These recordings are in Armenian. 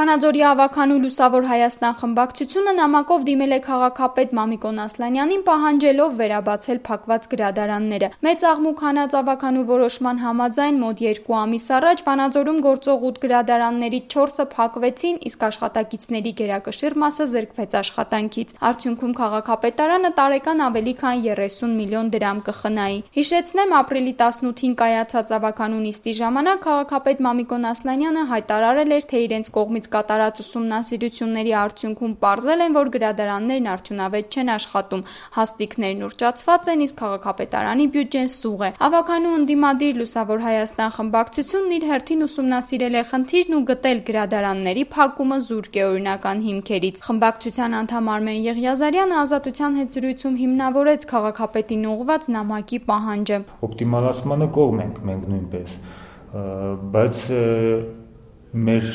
Վանաձորի ավագանու Լուսավոր Հայաստան խմբակցությունը նամակով դիմել է քաղաքապետ Մամիկոն Ասլանյանին, պահանջելով վերաբացել փակված գրադարանները։ Մեծ աղմուկ հանած ավագանու որոշման համաձայն մոտ 2 ամիս առաջ Վանաձորում գործող 8 գրադարաններից 4-ը փակվեցին, իսկ աշխատակիցների գերակշիռ մասը զրկվեց աշխատանքից։ Արդյունքում քաղաքապետարանը տարեկան ավելի քան 30 միլիոն դրամ կխնայի։ Հիշեցնեմ, ապրիլի 18-ին կայացած ավագանու նիստի ժամանակ քաղաքապետ Մամիկոն Ասլանյանը հայտարարել էր, թե իրենց կողմից կատարած ուսումնասիրությունների արդյունքում պարզել են, որ գրադարաններն արդյունավետ չեն աշխատում, հաստիքներն ուռճացված են, իսկ քաղաքապետարանի բյուջեն սուղ է։ Ավագանու ընդդիմադիր Լուսավոր Հայաստան խմբակցությունն իր հերթին ուսումնասիրել է խնդիրն ու գտել գրադարանների փակումը զուրկեօրինական հիմքերից։ Խմբակցության անդամ Արմեն Եղիազարյանը Ազատության հետ զրույցում հիմնավորեց քաղաքապետին ուղղված նամակի պահանջը։ Օպտիմալացմանը կողմ ենք մենք նույնպես, բայց մեր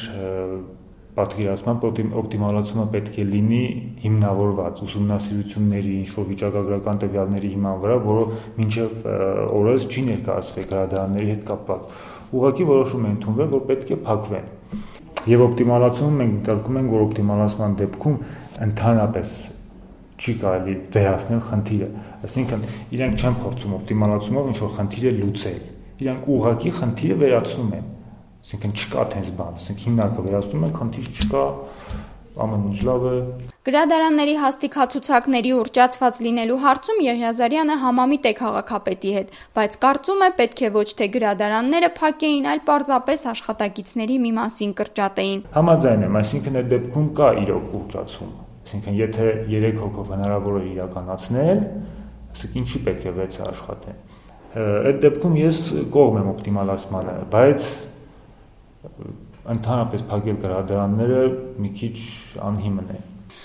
պատկերացմամբ օպտիմալացումը պետք է լինի հիմնավորված ուսումնասիրությունների, ինչ-որ վիճակագրական տվյալների հիման վրա, որը մինչև օրս չի ներկայացվել գրադարանների հետ կապված։ Ուղղակի որոշում է ընդունվել, որ պետք է փակվեն։ Եվ օպտիմալացումը մենք դիտարկում ենք, որ օպտիմալացման դեպքում ընդհանրապես չի կարելի վերացնել խնդիրը։ Այսինքն իրենք չեն փորձում օպտիմալացումով ինչ-որ խնդիրը լուծել։ Իրենք ուղղակի խնդիրը վերացնում են։ Այսինքն չկա տես բան, այսինքն հիմնակը վերացնում են, խնդիր չկա, ամեն ինչ լավ է։ Գրադարանների հաստիքացուցակների ուռճացված լինելու հարցում Եղիազարյանը համամիտ է քաղաքապետի հետ, բայց կարծում է, պետք է ոչ թե գրադարանները փակեին, այլ պարզապես աշխատակիցների մի մասին կրճատեին։ Համաձայն եմ, այսինքն այդ դեպքում կա իրոք ուռճացում։ Այսինքն եթե 3 հոգով հնարավոր է իրականացնել, ասենք ինչի պետք է 6-ը աշխատեն։ Այդ դեպքում ես կողմ եմ օպտիմալացմանը, բայց ընդհանրապես փակել գրադարանները մի քիչ անհիմն է։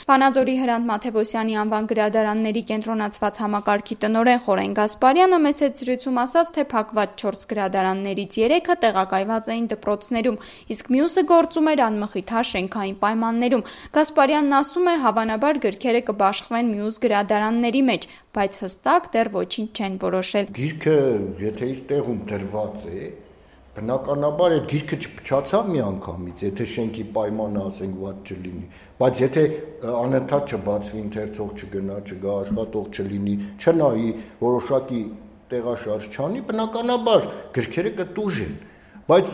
Վանաձորի Հրանտ Մաթևոսյանի անվան գրադարանների կենտրոնացված համակարգի տնօրեն Խորեն Գասպարյանը մեծ հետ զրույցում ասաց, թե փակված 4 գրադարաններից 3-ը տեղակայված էին դպրոցներում, իսկ մյուսը գործում էր անմխիթար շենքային պայմաններում։ Գասպարյանն ասում է, հավանաբար գրքերը կբաշխվեն մյուս գրադարանների մեջ, բայց հստակ դեռ ոչինչ չեն որոշել։ Գիրքը, եթե իր տեղում դրված է, բնականաբար այդ գիրքը չփչացավ միանգամից, եթե շենքի պայմանը ասենք ված չլինի, բայց եթե անընդհատ չբացվի ընթերցող չգնա, չգա աշխատող չլինի, չնայի, որոշակի տեղաշարժ չանի, բնականաբար գրքերը կտուժեն, բայց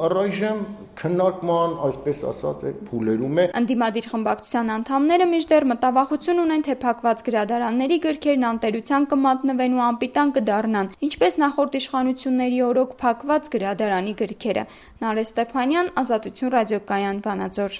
առայժմ քննարկման, այսպես ասած, այդ փուլերում է։ Ընդդիմադիր խմբակցության անդամները մինչդեռ մտավախություն ունեն, թե փակված գրադարանների գրքերն անտերության կմատնվեն ու անպիտան կդառնան, ինչպես նախորդ իշխանությունների օրոք փակված գրադարանի գրքերը։ Նարէ Ստեփանյան, Ազատություն ռադիոկայան, Վանաձոր։